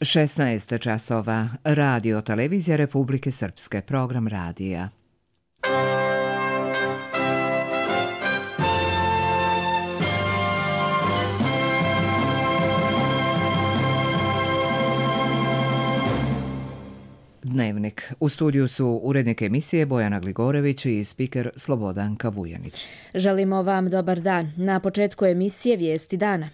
16 časova. Radio Televizija Republike Srpske. Program radija. Dnevnik. U studiju su urednik emisije Bojana Gligorević i spiker Slobodanka Vujanić. Želimo vam dobar dan. Na početku emisije Vijesti dana.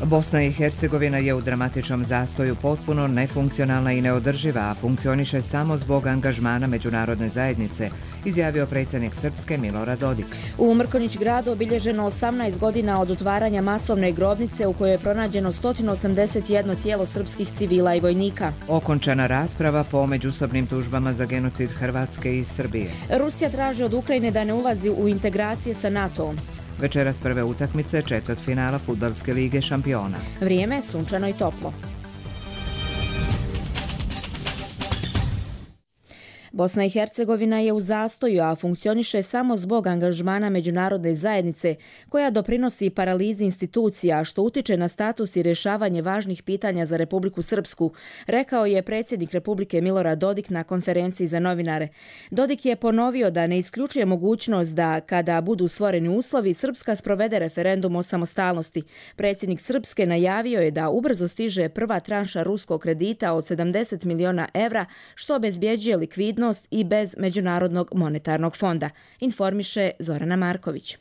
Bosna i Hercegovina je u dramatičnom zastoju, potpuno nefunkcionalna i neodrživa, a funkcioniše samo zbog angažmana međunarodne zajednice, izjavio predsjednik Srpske Milorad Dodik. U Mrkonjić gradu obilježeno 18 godina od otvaranja masovne grobnice u kojoj je pronađeno 181 tijelo srpskih civila i vojnika. Okončana rasprava po međusobnim tužbama za genocid Hrvatske i Srbije. Rusija traži od Ukrajine da ne ulazi u integracije sa NATO-om. Večeras prve utakmice četvrtfinala Fudbalske lige šampiona. Vrijeme sunčano i toplo. Bosna i Hercegovina je u zastoju, a funkcioniše samo zbog angažmana međunarodne zajednice koja doprinosi paralizi institucija, što utiče na status i rješavanje važnih pitanja za Republiku Srpsku, rekao je predsjednik Republike Milorad Dodik na konferenciji za novinare. Dodik je ponovio da ne isključuje mogućnost da, kada budu stvoreni uslovi, Srpska sprovede referendum o samostalnosti. Predsjednik Srpske najavio je da ubrzo stiže prva tranša ruskog kredita od 70 miliona evra, što obezbjeđuje likvidnost i bez Međunarodnog monetarnog fonda, informiše Zorana Marković.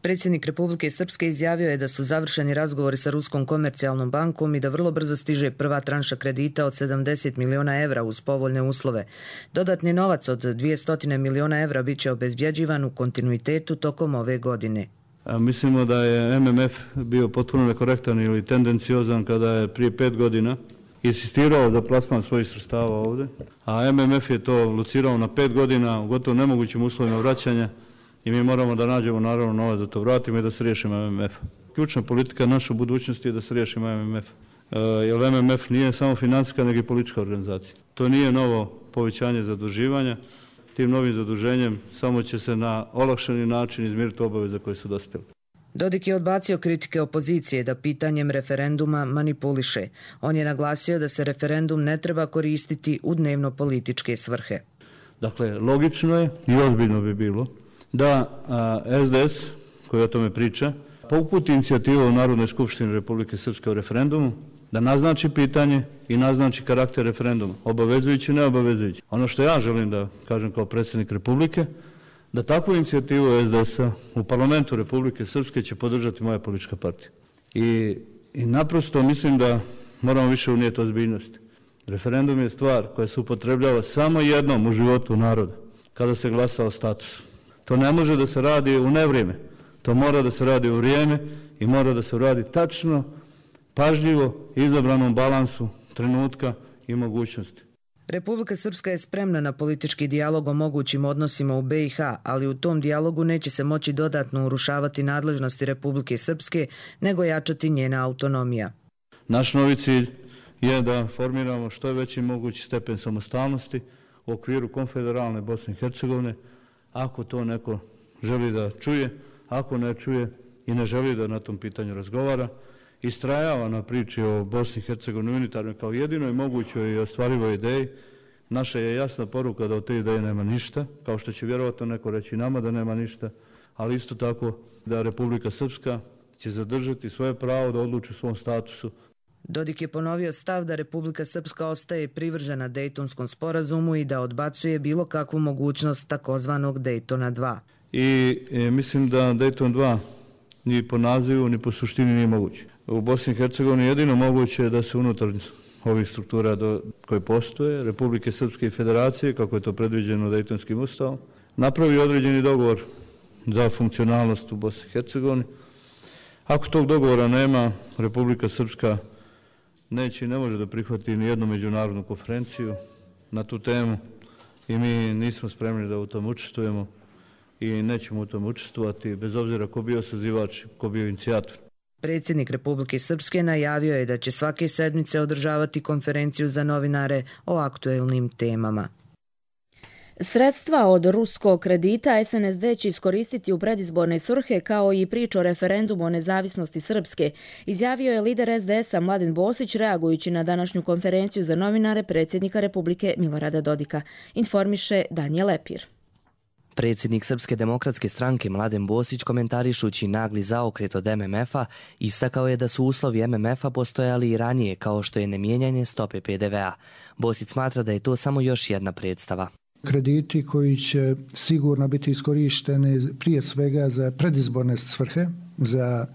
Predsjednik Republike Srpske izjavio je da su završeni razgovori sa Ruskom komercijalnom bankom i da vrlo brzo stiže prva tranša kredita od 70 miliona evra uz povoljne uslove. Dodatni novac od 200 miliona evra bit će obezbjeđivan u kontinuitetu tokom ove godine. Mislimo da je MMF bio potpuno nekorektan ili tendenciozan kada je prije 5 godina insistirao za plasman svojih sredstava ovdje, a MMF je to locirao na 5 godina u gotovo nemogućim uslovima vraćanja i mi moramo da nađemo naravno novac da to vratimo i da se riješimo MMF. Ključna politika naše budućnosti je da se riješimo MMF, jer MMF nije samo financijska nego i politička organizacija. To nije novo povećanje zaduživanja, tim novim zaduženjem samo će se na olakšani način izmiriti obaveze koje su dospjele. Dodik je odbacio kritike opozicije da pitanjem referenduma manipuliše. On je naglasio da se referendum ne treba koristiti u dnevno-političke svrhe. Dakle, logično je i ozbiljno bi bilo da SDS, koji o tome priča, uputi inicijativu u Narodnoj skupštini Republike Srpske o referendumu, da naznači pitanje i naznači karakter referenduma, obavezujući i neobavezujući. Ono što ja želim da kažem kao predsjednik Republike, da takvu inicijativu SDS-a u parlamentu Republike Srpske će podržati moja politička partija. I naprosto mislim da moramo više unijeti ozbiljnosti. Referendum je stvar koja se upotrebljava samo jednom u životu naroda, kada se glasa o statusu. To ne može da se radi u nevrijeme, to mora da se radi u vrijeme i mora da se radi tačno, pažljivo, izabranom balansu trenutka i mogućnosti. Republika Srpska je spremna na politički dijalog o mogućim odnosima u BiH, ali u tom dijalogu neće se moći dodatno urušavati nadležnosti Republike Srpske, nego jačati njena autonomija. Naš novi cilj je da formiramo što je veći mogući stepen samostalnosti u okviru konfederalne Bosne i Hercegovine, ako to neko želi da čuje, ako ne čuje i ne želi da na tom pitanju razgovara, istrajava na priči o Bosni i Hercegovini unitarnoj kao jedinoj mogućoj i ostvarivoj ideji. Naša je jasna poruka da od te ideje nema ništa, kao što će vjerovatno neko reći nama da nema ništa, ali isto tako da Republika Srpska će zadržati svoje pravo da odluči o svom statusu. Dodik je ponovio stav da Republika Srpska ostaje privržena Dejtonskom sporazumu i da odbacuje bilo kakvu mogućnost takozvanog Dejtona 2. I mislim da Dejton 2 ni po nazivu ni po suštini nije moguće. U Bosni i Hercegovini jedino moguće je da se unutar ovih struktura koje postoje, Republike Srpske i Federacije, kako je to predviđeno Dejtonskim ustavom, napravi određeni dogovor za funkcionalnost u Bosni i Hercegovini. Ako tog dogovora nema, Republika Srpska neće i ne može da prihvati ni jednu međunarodnu konferenciju na tu temu i mi nismo spremni da u tom učestvujemo i nećemo u tom učestvovati, bez obzira ko bio sazivač, ko bio inicijator. Predsjednik Republike Srpske najavio je da će svake sedmice održavati konferenciju za novinare o aktuelnim temama. Sredstva od ruskog kredita SNSD će iskoristiti u predizborne svrhe kao i priču o referendumu o nezavisnosti Srpske, izjavio je lider SDS-a Mladen Bosić reagujući na današnju konferenciju za novinare predsjednika Republike Milorada Dodika, informiše Danijel Lepir. Predsjednik Srpske demokratske stranke Mladen Bosić, komentarišući nagli zaokret od MMF-a, istakao je da su uslovi MMF-a postojali i ranije, kao što je nemijenjanje stope PDV-a. Bosić smatra da je to samo još jedna predstava. Krediti koji će sigurno biti iskorišteni prije svega za predizborne svrhe, za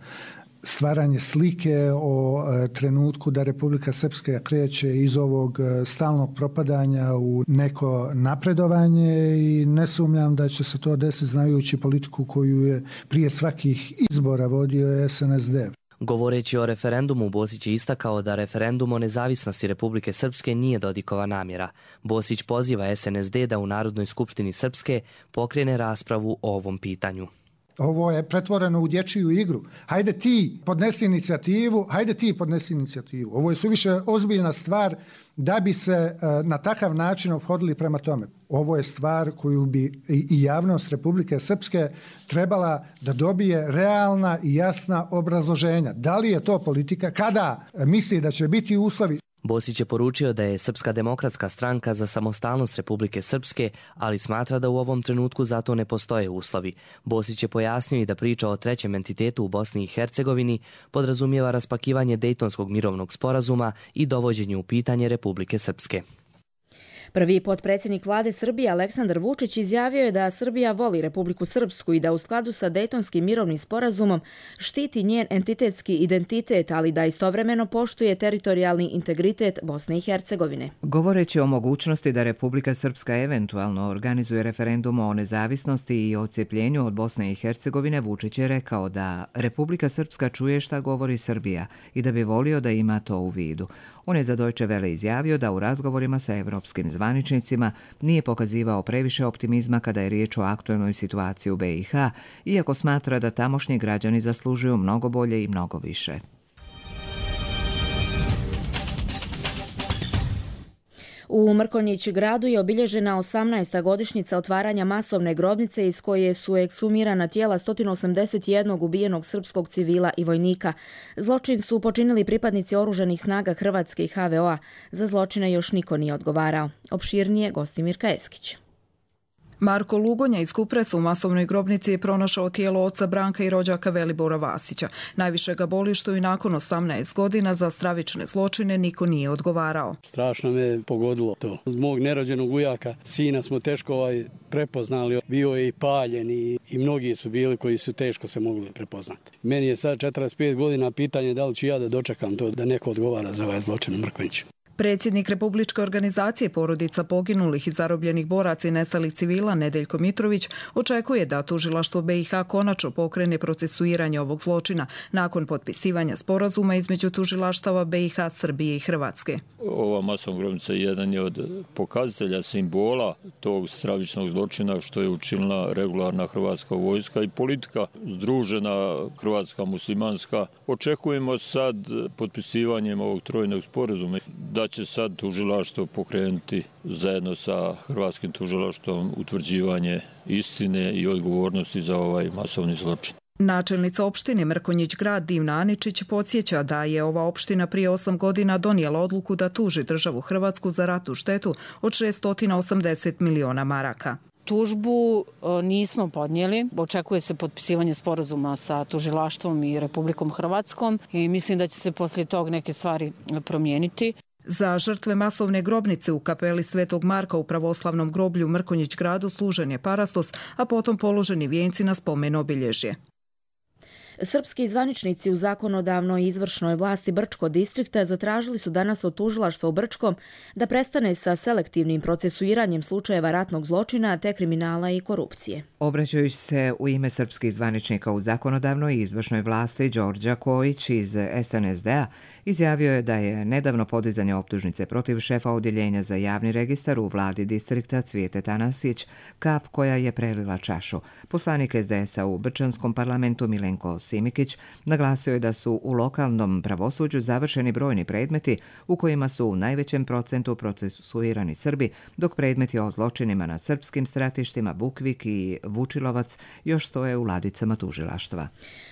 stvaranje slike o trenutku da Republika Srpska kreće iz ovog stalnog propadanja u neko napredovanje i ne sumnjam da će se to desiti znajući politiku koju je prije svakih izbora vodio SNSD. Govoreći o referendumu, Bosić je istakao da referendum o nezavisnosti Republike Srpske nije Dodikova namjera. Bosić poziva SNSD da u Narodnoj skupštini Srpske pokrene raspravu o ovom pitanju. Ovo je pretvoreno u dječju igru. Hajde ti podnesi inicijativu, Ovo je suviše ozbiljna stvar da bi se na takav način ophodili prema tome. Ovo je stvar koju bi i javnost Republike Srpske trebala da dobije realna i jasna obrazloženja. Da li je to politika? Kada misli da će biti uslovi? Bosić je poručio da je Srpska demokratska stranka za samostalnost Republike Srpske, ali smatra da u ovom trenutku za to ne postoje uslovi. Bosić je pojasnio i da priča o trećem entitetu u Bosni i Hercegovini podrazumijeva raspakivanje Dejtonskog mirovnog sporazuma i dovođenje u pitanje Republike Srpske. Prvi potpredsjednik vlade Srbije Aleksandar Vučić izjavio je da Srbija voli Republiku Srpsku i da u skladu sa Dejtonskim mirovnim sporazumom štiti njen entitetski identitet, ali da istovremeno poštuje teritorijalni integritet Bosne i Hercegovine. Govoreći o mogućnosti da Republika Srpska eventualno organizuje referendum o nezavisnosti i odcepljenju od Bosne i Hercegovine, Vučić je rekao da Republika Srpska čuje šta govori Srbija i da bi volio da ima to u vidu. On je za Deutsche Welle izjavio da u razgovorima sa evropskim zvaničnicima nije pokazivao previše optimizma kada je riječ o aktualnoj situaciji u BiH, iako smatra da tamošnji građani zaslužuju mnogo bolje i mnogo više. U Mrkonjić gradu je obilježena 18. godišnjica otvaranja masovne grobnice iz koje su ekshumirana tijela 181 ubijenog srpskog civila i vojnika. Zločin su počinili pripadnici oružanih snaga Hrvatske i HVO-a. Za zločine još niko nije odgovarao. Opširnije Gostimirka Eskić. Marko Lugonja iz Kupresa u masovnoj grobnici je pronašao tijelo oca Branka i rođaka Velibora Vasića. Najviše ga boli što i nakon 18 godina za stravične zločine niko nije odgovarao. Strašno me pogodilo to. Od mog nerođenog ujaka, sina smo teško prepoznali. Bio je i paljen i mnogi su bili koji su teško se mogli prepoznati. Meni je sad 45 godina, pitanje da li ću ja da dočekam to da neko odgovara za ovaj zločin u Mrkonjiću. Predsjednik Republičke organizacije porodica poginulih i zarobljenih boraca i nestalih civila Nedeljko Mitrović očekuje da tužilaštvo BiH konačno pokrene procesuiranje ovog zločina nakon potpisivanja sporazuma između tužilaštava BiH, Srbije i Hrvatske. Ova masovna grobnica jedan je od pokazatelja simbola tog stravičnog zločina što je učinila regularna hrvatska vojska i politika združena hrvatska muslimanska. Očekujemo sad potpisivanjem ovog trojnog sporazuma da će sad tužilaštvo pokrenuti zajedno sa hrvatskim tužilaštvom utvrđivanje istine i odgovornosti za ovaj masovni zločin. Načelnica opštine Mrkonjić grad Divna Aničić podsjeća da je ova opština prije 8 godina donijela odluku da tuži državu Hrvatsku za ratnu štetu od 680 miliona maraka. Tužbu nismo podnijeli. Očekuje se potpisivanje sporazuma sa tužilaštvom i Republikom Hrvatskom i mislim da će se poslije tog neke stvari promijeniti. Za žrtve masovne grobnice u kapeli Svetog Marka u pravoslavnom groblju Mrkonjić gradu služen je parastos, a potom položeni vijenci na spomen obilježje. Srpski zvaničnici u zakonodavnoj i izvršnoj vlasti Brčkog distrikta zatražili su danas od tužilaštva u Brčkom da prestane sa selektivnim procesuiranjem slučajeva ratnog zločina te kriminala i korupcije. Obraćajući se u ime srpskih zvaničnika u zakonodavnoj i izvršnoj vlasti, Đorđa Kojić iz SNSD-a izjavio je da je nedavno podizanje optužnice protiv šefa odjeljenja za javni registar u vladi distrikta Cvijete Tanasić kap koja je prelila čašu. Poslanik SDS-a u Brčanskom parlamentu Milenko Simikić naglasio je da su u lokalnom pravosuđu završeni brojni predmeti u kojima su u najvećem procentu procesuirani Srbi, dok predmeti o zločinima na srpskim stratištima Bukvik i Vučilovac još stoje u ladicama tužilaštva.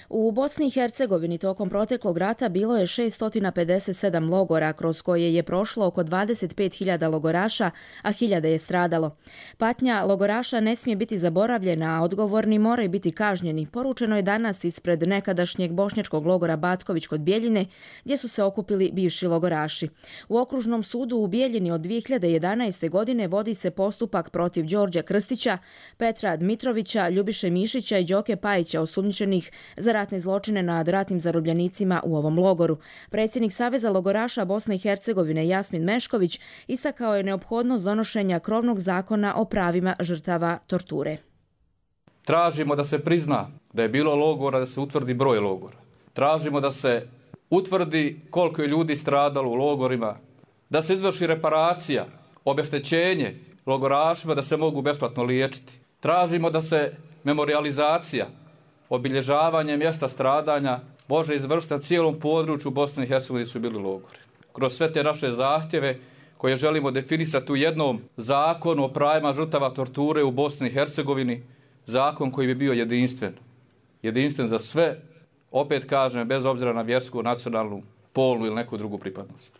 U Bosni i Hercegovini tokom proteklog rata bilo je 657 logora kroz koje je prošlo oko 25.000 logoraša, a hiljade je stradalo. Patnja logoraša ne smije biti zaboravljena, a odgovorni moraju biti kažnjeni. Poručeno je danas ispred nekadašnjeg bošnjačkog logora Batković kod Bijeljine, gdje su se okupili bivši logoraši. U okružnom sudu u Bijeljini od 2011. godine vodi se postupak protiv Đorđa Krstića, Petra Dmitrovića, Ljubiše Mišića i Đoke Pajića, osumnjičenih za ratne zločine nad ratnim zarobljenicima u ovom logoru. Predsjednik Saveza logoraša Bosne i Hercegovine Jasmin Mešković istakao je neophodnost donošenja krovnog zakona o pravima žrtava torture. Tražimo da se prizna da je bilo logora, da se utvrdi broj logora. Tražimo da se utvrdi koliko je ljudi stradalo u logorima, da se izvrši reparacija, obeštećenje logorašima da se mogu besplatno liječiti. Tražimo da se memorializacija, obilježavanje mjesta stradanja može izvršiti na cijelom području Bosne i Hercegovine su bili logori. Kroz sve te naše zahtjeve koje želimo definisati u jednom zakonu o pravima žrtava torture u Bosni i Hercegovini, zakon koji bi bio jedinstven. Jedinstven za sve, opet kažem, bez obzira na vjersku, nacionalnu, polnu ili neku drugu pripadnost.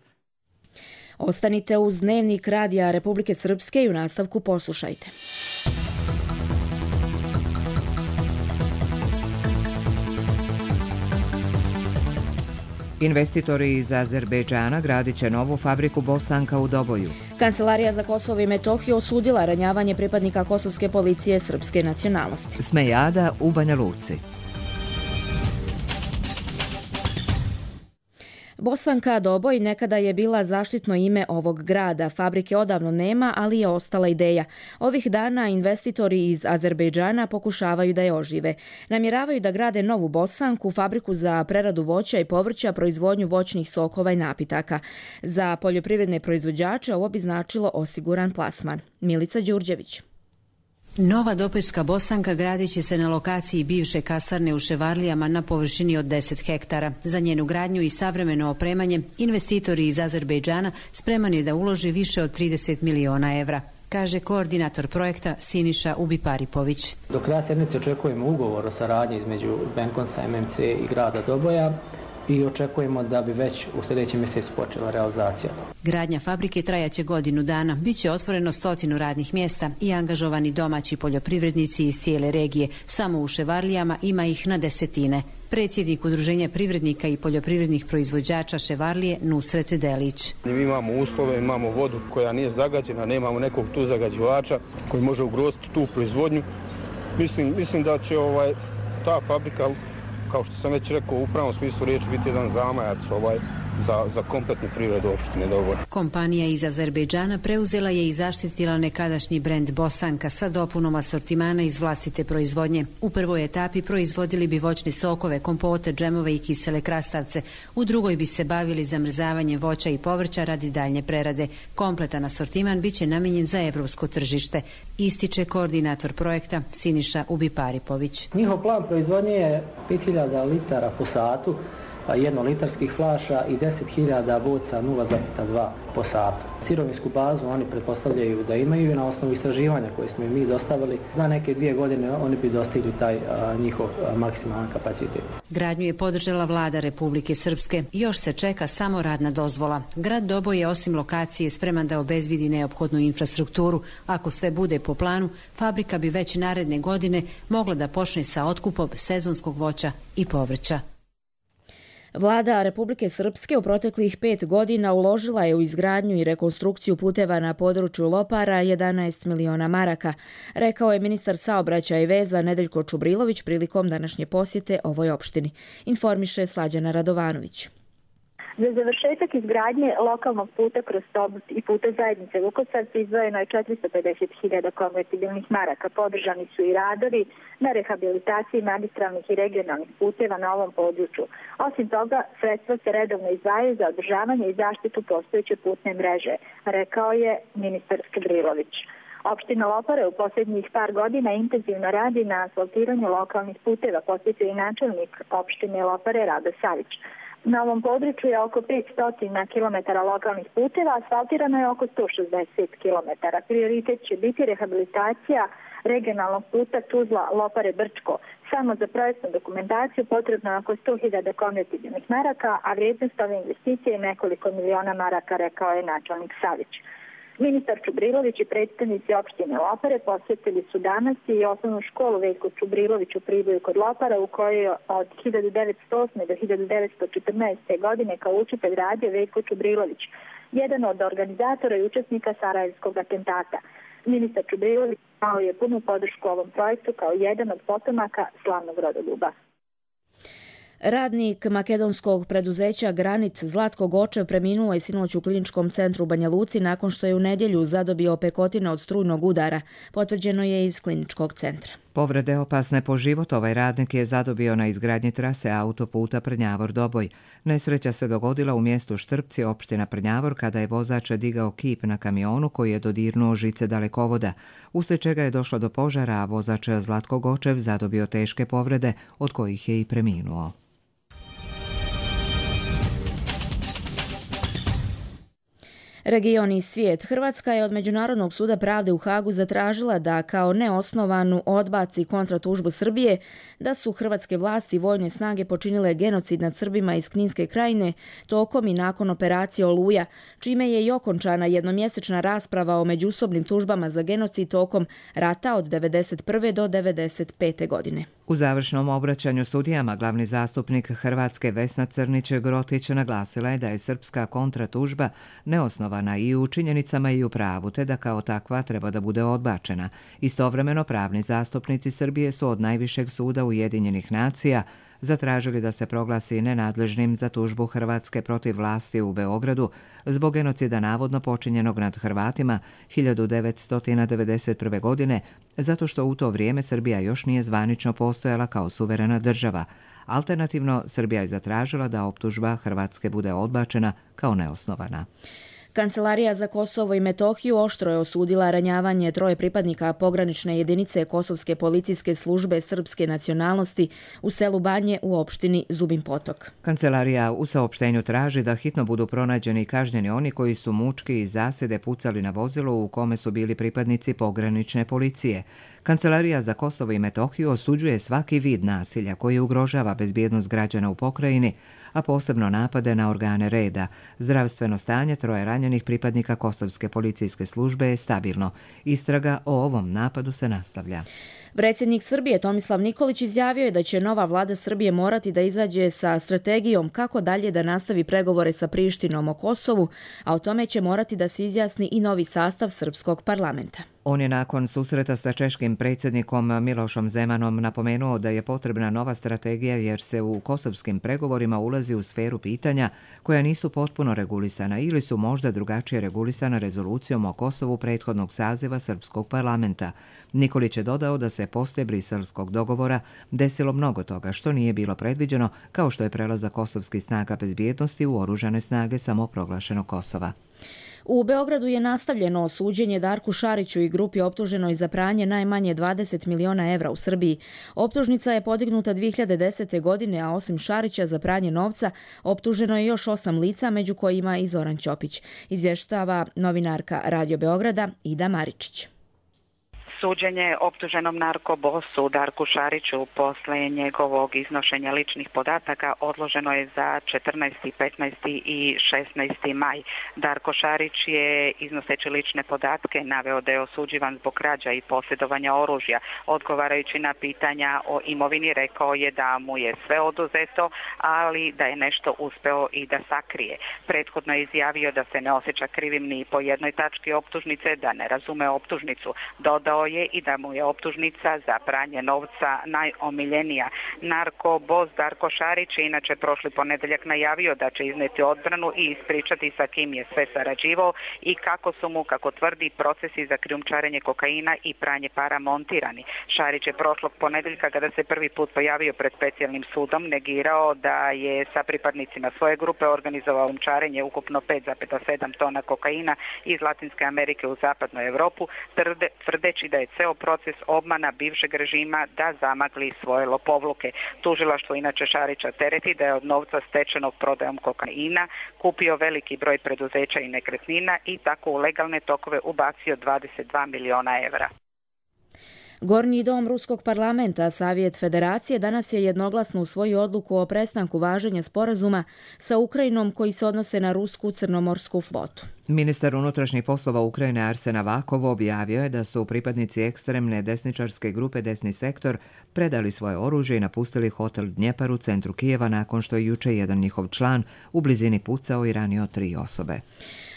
Ostanite uz Dnevnik Radija Republike Srpske i u nastavku poslušajte. Investitori iz Azerbejdžana gradit će novu fabriku Bosanka u Doboju. Kancelarija za Kosovo i Metohiju osudila ranjavanje pripadnika kosovske policije srpske nacionalnosti. Smejada u Banja Luci. Bosanka Doboj nekada je bila zaštitno ime ovog grada. Fabrike odavno nema, ali je ostala ideja. Ovih dana investitori iz Azerbejdžana pokušavaju da je ožive. Namjeravaju da grade novu Bosanku, fabriku za preradu voća i povrća, proizvodnju voćnih sokova i napitaka. Za poljoprivredne proizvođače ovo bi značilo osiguran plasman. Milica Đurđević. Nova Dobojska Bosanka gradit će se na lokaciji bivše kasarne u Ševarlijama na površini od 10 hektara. Za njenu gradnju i savremeno opremanje investitori iz Azerbejdžana spreman je da uloži više od 30 miliona evra, kaže koordinator projekta Siniša Ubiparipović. Do kraja sedmice očekujemo ugovor o saradnji između Benkonsa, MMC i grada Doboja i očekujemo da bi već u sljedećem mjesecu počela realizacija. Gradnja fabrike trajaće godinu dana. Biće otvoreno 100 radnih mjesta i angažovani domaći poljoprivrednici iz cijele regije. Samo u Ševarlijama ima ih na desetine. Predsjednik Udruženja privrednika i poljoprivrednih proizvođača Ševarlije Nusret Delić. Mi imamo uslove, imamo vodu koja nije zagađena, nemamo nekog tu zagađivača koji može ugroziti tu proizvodnju. Mislim da će ta fabrika, kao što sam već rekao, u pravom smislu riječi biti jedan zamajac za kompletnu privredu opštine Doboj. Kompanija iz Azerbejdžana preuzela je i zaštitila nekadašnji brend Bosanka sa dopunom asortimana iz vlastite proizvodnje. U prvoj etapi proizvodili bi voćne sokove, kompote, džemove i kisele krastavce. U drugoj bi se bavili zamrzavanjem voća i povrća radi daljnje prerade. Kompletan asortiman biće namijenjen za evropsko tržište, ističe koordinator projekta Siniša Ubiparipović. Njihov plan proizvodnje je 5000 litara po satu, jednolitarskih flaša i 10.000 boca 0,2 po satu. Sirovinsku bazu oni pretpostavljaju da imaju i na osnovu istraživanja koje smo im mi dostavili. Za neke 2 godine oni bi dostigli taj njihov maksimalan kapacitet. Gradnju je podržala vlada Republike Srpske. Još se čeka samo radna dozvola. Grad Doboj je osim lokacije spreman da obezbedi neophodnu infrastrukturu. Ako sve bude po planu, fabrika bi već naredne godine mogla da počne sa otkupom sezonskog voća i povrća. Vlada Republike Srpske u proteklih 5 godina uložila je u izgradnju i rekonstrukciju puteva na području Lopara 11 miliona maraka, rekao je ministar saobraćaja i veza Nedeljko Čubrilović prilikom današnje posjete ovoj opštini, informiše Slađana Radovanović. Za završetak izgradnje lokalnog puta kroz Tobut i puta zajednice Vukosavci izdvojeno je 450.000 konvertibilnih maraka. Podržani su i radovi na rehabilitaciji magistralnih i regionalnih puteva na ovom području. Osim toga, sredstva se redovno izdvajaju za održavanje i zaštitu postojeće putne mreže, rekao je ministar Čubrilović. Opština Lopare u posljednjih par godina intenzivno radi na asfaltiranju lokalnih puteva, podsjetio i načelnik opštine Lopare Rado Savić. Na ovom području je oko 500 km lokalnih puteva, asfaltirano je oko 160 km. Prioritet će biti rehabilitacija regionalnog puta Tuzla-Lopare-Brčko. Samo za projektnu dokumentaciju potrebno je oko 100.000 konvertibilnih maraka, a vrijednost ove investicije je nekoliko miliona maraka, rekao je načelnik Savić. Ministar Čubrilović i predstavnici opštine Lopare posjetili su danas i osnovnu školu Veljko Čubrilović u Priboju kod Lopara, u kojoj je od 1908. do 1914. godine kao učitelj radio Veljko Čubrilović, jedan od organizatora i učesnika Sarajevskog atentata. Ministar Čubrilović dao je punu podršku ovom projektu kao jedan od potomaka slavnog rodoljuba. Radnik makedonskog preduzeća Granit Zlatko Gočev preminuo je sinoć u kliničkom centru u Banja Luci nakon što je u nedjelju zadobio opekotine od strujnog udara, potvrđeno je iz kliničkog centra. Povrede opasne po život ovaj radnik je zadobio na izgradnji trase autoputa Prnjavor-Doboj. Nesreća se dogodila u mjestu Štrpci, opština Prnjavor, kada je vozač digao kip na kamionu koji je dodirnuo žice dalekovoda, uslijed čega je došlo do požara, a vozač Zlatko Gočev zadobio teške povrede, od kojih je i preminuo. Region i svijet. Hrvatska je od Međunarodnog suda pravde u Hagu zatražila da kao neosnovanu odbaci kontratužbu Srbije da su hrvatske vlasti i vojne snage počinile genocid nad Srbima iz Kninske krajine tokom i nakon operacije Oluja, čime je i okončana jednomjesečna rasprava o međusobnim tužbama za genocid tokom rata od 1991. do 1995. godine. U završnom obraćanju sudijama glavni zastupnik Hrvatske Vesna Crnić-Grotić naglasila je da je srpska kontratužba neosnovana i u činjenicama i u pravu, te da kao takva treba da bude odbačena. Istovremeno pravni zastupnici Srbije su od najvišeg suda Ujedinjenih nacija zatražili da se proglasi nenadležnim za tužbu Hrvatske protiv vlasti u Beogradu zbog genocida navodno počinjenog nad Hrvatima 1991. godine, zato što u to vrijeme Srbija još nije zvanično postojala kao suverena država. Alternativno, Srbija je zatražila da optužba Hrvatske bude odbačena kao neosnovana. Kancelarija za Kosovo i Metohiju oštro je osudila ranjavanje 3 pripadnika pogranične jedinice Kosovske policijske službe srpske nacionalnosti u selu Banje u opštini Zubin Potok. Kancelarija u saopštenju traži da hitno budu pronađeni i kažnjeni oni koji su mučki i zasjede pucali na vozilo u kome su bili pripadnici pogranične policije. Kancelarija za Kosovo i Metohiju osuđuje svaki vid nasilja koji ugrožava bezbjednost građana u pokrajini, a posebno napade na organe reda. Zdravstveno stanje 3 ranjenih pripadnika Kosovske policijske službe je stabilno. Istraga o ovom napadu se nastavlja. Predsjednik Srbije Tomislav Nikolić izjavio je da će nova vlada Srbije morati da izađe sa strategijom kako dalje da nastavi pregovore sa Prištinom o Kosovu, a o tome će morati da se izjasni i novi sastav srpskog parlamenta. On je nakon susreta sa češkim predsjednikom Milošom Zemanom napomenuo da je potrebna nova strategija jer se u kosovskim pregovorima ulazi u sferu pitanja koja nisu potpuno regulisana ili su možda drugačije regulisana rezolucijom o Kosovu prethodnog saziva srpskog parlamenta. Nikolić je dodao da se poslije briselskog dogovora desilo mnogo toga što nije bilo predviđeno, kao što je prelazak kosovskih snaga bezbjednosti u oružane snage samoproglašenog Kosova. U Beogradu je nastavljeno suđenje Darku Šariću i grupi optuženoj za pranje najmanje 20 miliona evra u Srbiji. Optužnica je podignuta 2010. godine, a osim Šarića za pranje novca optuženo je još 8 lica, među kojima i Zoran Ćopić. Izvještava novinarka Radio Beograda Ida Maričić. Suđenje optuženom narkobosu Darku Šariću posle njegovog iznošenja ličnih podataka odloženo je za 14., 15. i 16. maj. Darko Šarić je iznoseći lične podatke naveo da je osuđivan zbog krađa i posjedovanja oružja. Odgovarajući na pitanja o imovini rekao je da mu je sve oduzeto, ali da je nešto uspeo i da sakrije. Prethodno je izjavio da se ne osjeća krivim ni po jednoj tački optužnice, da ne razume optužnicu. Dodao je i da mu je optužnica za pranje novca najomiljenija. Narkobos Darko Šarić je inače prošli ponedjeljak najavio da će izneti odbranu i ispričati sa kim je sve sarađivao i kako su mu, kako tvrdi, procesi za krijumčarenje kokaina i pranje para montirani. Šarić je prošlog ponedjeljka, kada se prvi put pojavio pred specijalnim sudom, negirao da je sa pripadnicima svoje grupe organizovao krijumčarenje ukupno 5,7 tona kokaina iz Latinske Amerike u zapadnu Europu, tvrdeći da je ceo proces obmana bivšeg režima da zamagli svoje lopovluke. Tužilaštvo inače Šarića tereti da je od novca stečenog prodajom kokaina kupio veliki broj preduzeća i nekretnina i tako u legalne tokove ubacio 22 miliona evra. Gornji dom Ruskog parlamenta, Savjet Federacije, danas je jednoglasno usvojio odluku o prestanku važenja sporazuma sa Ukrajinom koji se odnose na rusku crnomorsku flotu. Ministar unutrašnjih poslova Ukrajine Arsen Avakov objavio je da su pripadnici ekstremne desničarske grupe Desni sektor predali svoje oružje i napustili hotel Dnjepar u centru Kijeva nakon što je juče jedan njihov član u blizini pucao i ranio 3 osobe.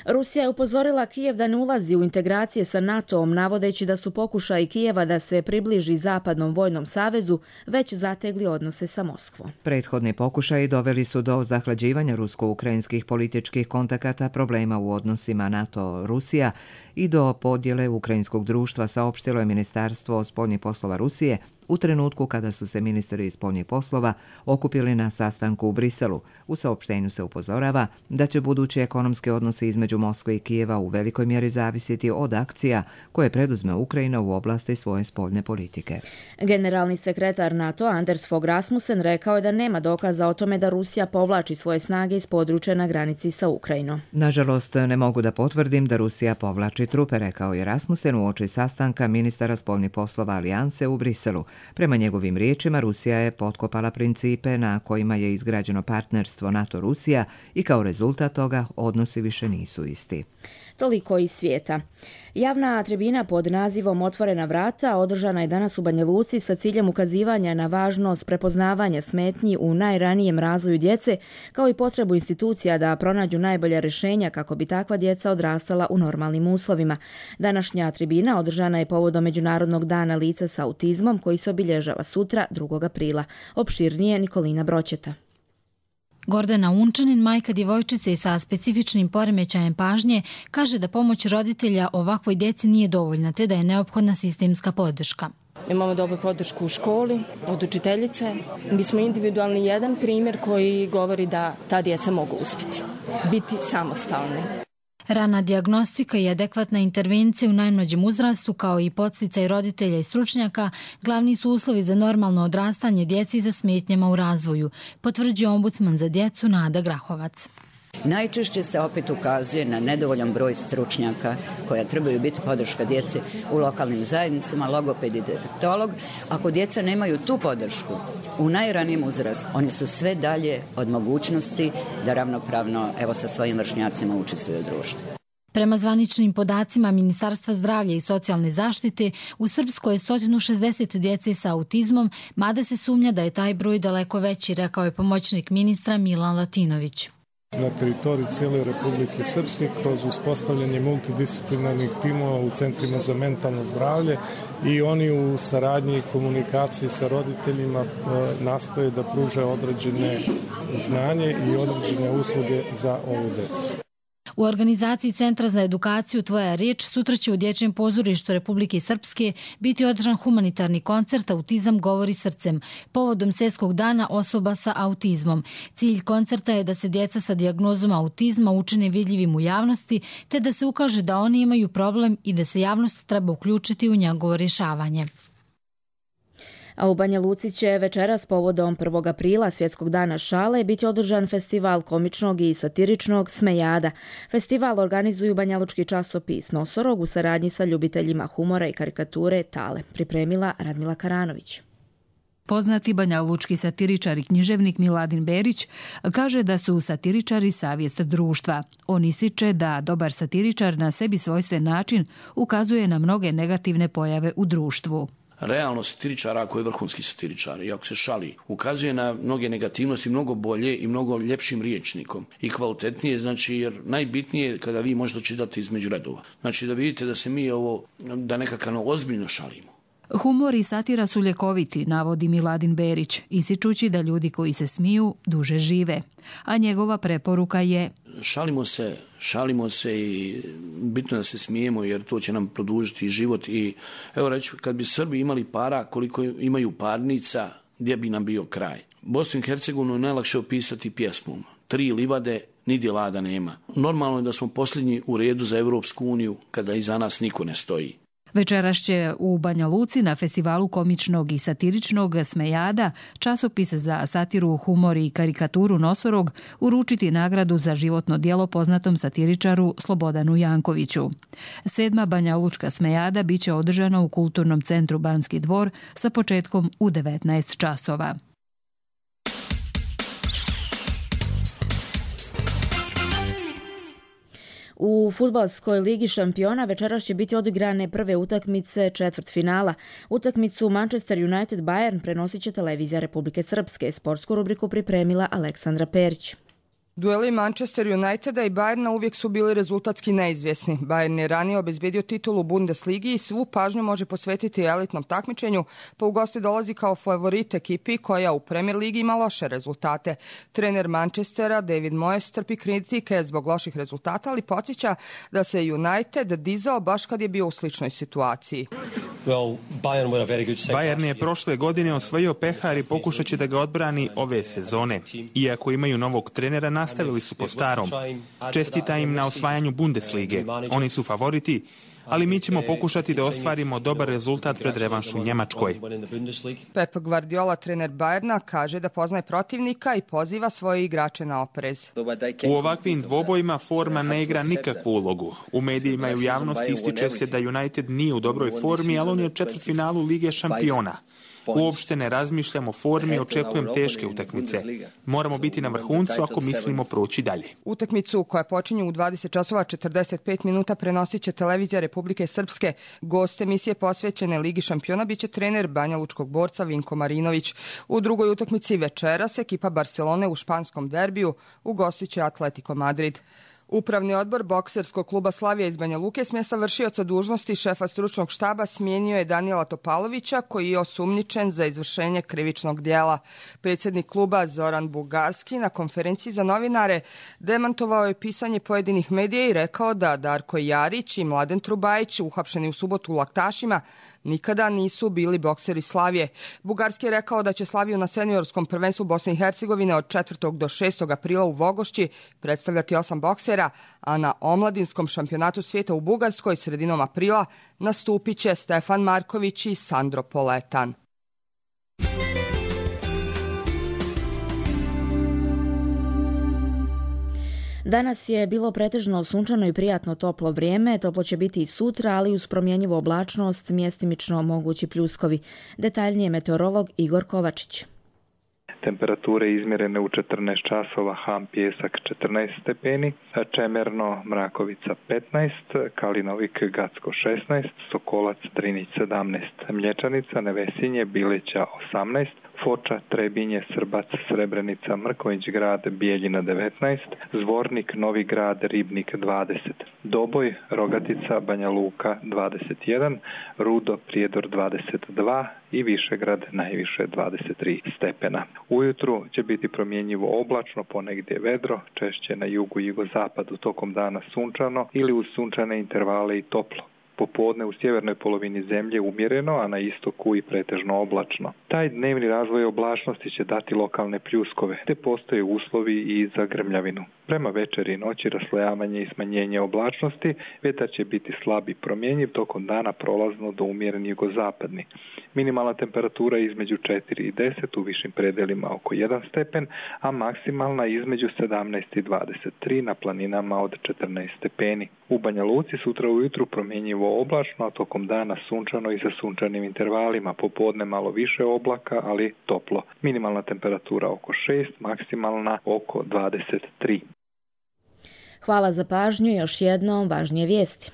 Rusija je upozorila Kijev da ne ulazi u integracije sa NATO-om, navodeći da su pokušaji Kijeva da se približi Zapadnom vojnom savezu već zategli odnose sa Moskvom. Prethodni pokušaji doveli su do zahlađivanja rusko-ukrajinskih političkih kontakata, problema u odnosima NATO-Rusija i do podjele ukrajinskog društva, saopštilo je Ministarstvo spoljnih poslova Rusije u trenutku kada su se ministri spoljnih poslova okupili na sastanku u Briselu. U saopštenju se upozorava da će budući ekonomski odnosi između Moskve i Kijeva u velikoj mjeri zavisiti od akcija koje preduzme Ukrajina u oblasti svoje spoljne politike. Generalni sekretar NATO Anders Fogh Rasmussen rekao je da nema dokaza o tome da Rusija povlači svoje snage iz područja na granici sa Ukrajinom. Nažalost, ne mogu da potvrdim da Rusija povlači trupe, rekao je Rasmussen uoči sastanka ministara spoljnih poslova Alijanse u Briselu. Prema njegovim riječima, Rusija je potkopala principe na kojima je izgrađeno partnerstvo NATO-Rusija i kao rezultat toga odnosi više nisu isti. Toliko iz svijeta. Javna tribina pod nazivom Otvorena vrata održana je danas u Banja Luci sa ciljem ukazivanja na važnost prepoznavanja smetnji u najranijem razvoju djece, kao i potrebu institucija da pronađu najbolja rješenja kako bi takva djeca odrastala u normalnim uslovima. Današnja tribina održana je povodom Međunarodnog dana lica sa autizmom koji se obilježava sutra 2. aprila. Opširnije Nikolina Broćeta. Gordana Unčanin, majka djevojčice sa specifičnim poremećajem pažnje, kaže da pomoć roditelja ovakvoj djeci nije dovoljna, te da je neophodna sistemska podrška. Imamo dobru podršku u školi, od učiteljice. Mi smo individualni jedan primjer koji govori da ta djeca mogu uspjeti, biti samostalni. Rana dijagnostika i adekvatna intervencija u najmlađem uzrastu, kao i podsticaj roditelja i stručnjaka, glavni su uslovi za normalno odrastanje djeci za smetnjama u razvoju, potvrđuje ombudsman za djecu Nada Grahovac. Najčešće se opet ukazuje na nedovoljan broj stručnjaka koja trebaju biti podrška djeci u lokalnim zajednicama, logoped i defektolog. Ako djeca nemaju tu podršku u najranijem uzrastu, oni su sve dalje od mogućnosti da ravnopravno sa svojim vršnjacima učestvuju u društvu. Prema zvaničnim podacima Ministarstva zdravlja i socijalne zaštite, u Srpskoj je 160 djece sa autizmom, mada se sumnja da je taj broj daleko veći, rekao je pomoćnik ministra Milan Latinović. Na teritoriji cijele Republike Srpske kroz uspostavljanje multidisciplinarnih timova u centrima za mentalno zdravlje i oni u saradnji i komunikaciji sa roditeljima nastoje da pruže određene znanje i određene usluge za ovu djecu. U organizaciji Centra za edukaciju Tvoja riječ sutra će u Dječjem pozorištu Republike Srpske biti održan humanitarni koncert Autizam govori srcem, povodom Svjetskog dana osoba sa autizmom. Cilj koncerta je da se djeca sa dijagnozom autizma učine vidljivim u javnosti, te da se ukaže da oni imaju problem i da se javnost treba uključiti u njegovo rješavanje. A u Banja Luci će večeras povodom 1. aprila Svjetskog dana šale biti održan festival komičnog i satiričnog Smejada. Festival organizuju banjalučki časopis Nosorog u saradnji sa ljubiteljima humora i karikature Tale. Pripremila Radmila Karanović. Poznati banjalučki satiričar i književnik Miladin Berić kaže da su satiričari savjest društva. On ističe da dobar satiričar na sebi svojstven način ukazuje na mnoge negativne pojave u društvu. realno satiričara ako je vrhunski satiričar i ako se šali. Ukazuje na mnoge negativnosti mnogo bolje i mnogo ljepšim riječnikom i kvalitetnije, znači jer najbitnije je kada vi možete čitati između redova. Znači da vidite da se mi da nekako ozbiljno šalimo. Humor i satira su ljekoviti, navodi Miladin Berić, ističući da ljudi koji se smiju duže žive. A njegova preporuka je: šalimo se i bitno da se smijemo jer to će nam produžiti život. I evo reći, kad bi Srbi imali para koliko imaju parnica, gdje bi nam bio kraj? Bosnu i Hercegovinu je najlakše opisati pjesmom. 3 livade, nigdje lada nema. Normalno je da smo posljednji u redu za Europsku uniju kada iza nas niko ne stoji. Večeras će u Banja Luci na festivalu komičnog i satiričnog Smejada časopis za satiru, humor i karikaturu Nosorog uručiti nagradu za životno djelo poznatom satiričaru Slobodanu Jankoviću. 7. Banja Lučka Smejada bit će održana u Kulturnom centru Banski dvor sa početkom u 19 časova. U fudbalskoj ligi šampiona večeras će biti odigrane prve utakmice četvrtfinala. Utakmicu Manchester United Bayern prenosit će televizija Republike Srpske. Sportsku rubriku pripremila Aleksandra Perić. Dueli Manchester Uniteda i Bayerna uvijek su bili rezultatski neizvjesni. Bayern je ranije obezbedio titulu u Bundesligi i svu pažnju može posvetiti elitnom takmičenju, pa u goste dolazi kao favorit ekipi koja u Premier Ligi ima loše rezultate. Trener Manchestera David Moyes trpi kritike zbog loših rezultata, ali podsjeća da se United dizao baš kad je bio u sličnoj situaciji. Bayern je prošle godine osvojio pehar i pokušat će da ga odbrani ove sezone. Iako imaju novog trenera, nastavili su po starom. Čestita im na osvajanju Bundeslige. Oni su favoriti, ali mi ćemo pokušati da ostvarimo dobar rezultat pred revanš u Njemačkoj. Pep Guardiola, trener Bayerna, kaže da poznaje protivnika i poziva svoje igrače na oprez. U ovakvim dvobojima forma ne igra nikakvu ulogu. U medijima i u javnosti ističe se da United nije u dobroj formi, ali on je u četvrtfinalu Lige šampiona. Uopšte ne razmišljam o formi, očekujem teške utakmice. Moramo biti na vrhuncu ako mislimo proći dalje. Utakmicu koja počinje u 20 časova 45 minuta prenosit će televizija Republike Srpske. Gost emisije posvećene Ligi šampiona biće trener Banja Lučkog borca Vinko Marinović. U drugoj utakmici večeras ekipa Barcelone u španskom derbiju ugostit će Atletico Madrid. Upravni odbor bokserskog kluba Slavija iz Banja Luke s mjesta vršioca dužnosti šefa stručnog štaba smijenio je Danijela Topalovića, koji je osumnjičen za izvršenje krivičnog djela. Predsjednik kluba Zoran Bugarski na konferenciji za novinare demantovao je pisanje pojedinih medija i rekao da Darko Jarić i Mladen Trubajić, uhapšeni u subotu u Laktašima, nikada nisu bili bokseri Slavije. Bugarski je rekao da će Slaviju na seniorskom prvenstvu Bosne i Hercegovine od 4. do 6. aprila u Vogošći predstavljati 8 boksera, a na omladinskom šampionatu svijeta u Bugarskoj sredinom aprila nastupit će Stefan Marković i Sandro Poletan. Danas je bilo pretežno sunčano i prijatno toplo vrijeme. Toplo će biti i sutra, ali uz promjenjivu oblačnost, mjestimično mogući pljuskovi. Detaljnije meteorolog Igor Kovačić. Temperature izmjerene u 14 časova, Ham Pjesak 14 stepeni, Čemerno Mrakovica 15, Kalinovik Gacko 16, Sokolac Drinić 17, Mlječanica Nevesinje Bileća 18, Foča, Trebinje, Srbac, Srebrenica, Mrković grad, Bijeljina 19, Zvornik, Novi grad, Ribnik 20, Doboj, Rogatica, Banja Luka 21, Rudo, Prijedor 22 i Višegrad najviše 23 stepena. Ujutru će biti promjenjivo oblačno, ponegdje vedro, češće na jugu i jugozapadu, tokom dana sunčano ili uz sunčane intervale i toplo. Popodne u sjevernoj polovini zemlje umjereno, a na istoku i pretežno oblačno. Taj dnevni razvoj oblačnosti će dati lokalne pljuskove, te postoje uslovi i za grmljavinu. Prema večeri i noći raslojavanje i smanjenje oblačnosti, vjetar će biti slab i promjenjiv, tokom dana prolazno do umjeren jugozapadni. Minimalna temperatura između 4 i 10, u višim predelima oko 1 stepen, a maksimalna između 17 i 23, na planinama od 14 stepeni. U Banja Luci sutra ujutru promjenjivo oblačno, a tokom dana sunčano i sa sunčanim intervalima, popodne malo više oblaka, ali toplo. Minimalna temperatura oko 6, maksimalna oko 23. Hvala za pažnju, još jednom važnije vijesti.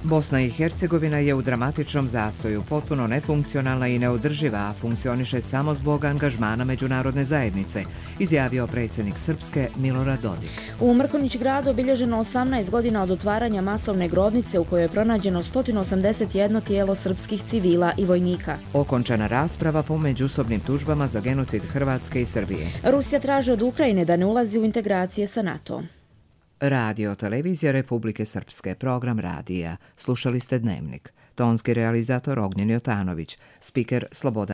Bosna i Hercegovina je u dramatičnom zastoju, potpuno nefunkcionalna i neodrživa, a funkcioniše samo zbog angažmana međunarodne zajednice, izjavio predsjednik Srpske Milorad Dodik. U Mrkonjić gradu obilježeno 18 godina od otvaranja masovne grobnice u kojoj je pronađeno 181 tijelo srpskih civila i vojnika. Okončana rasprava po međusobnim tužbama za genocid Hrvatske i Srbije. Rusija traži od Ukrajine da ne ulazi u integracije sa NATO. Radio televizija Republike Srpske, program radija. Slušali ste Dnevnik. Tonski realizator Ognjen Jotanović, spiker Slobodan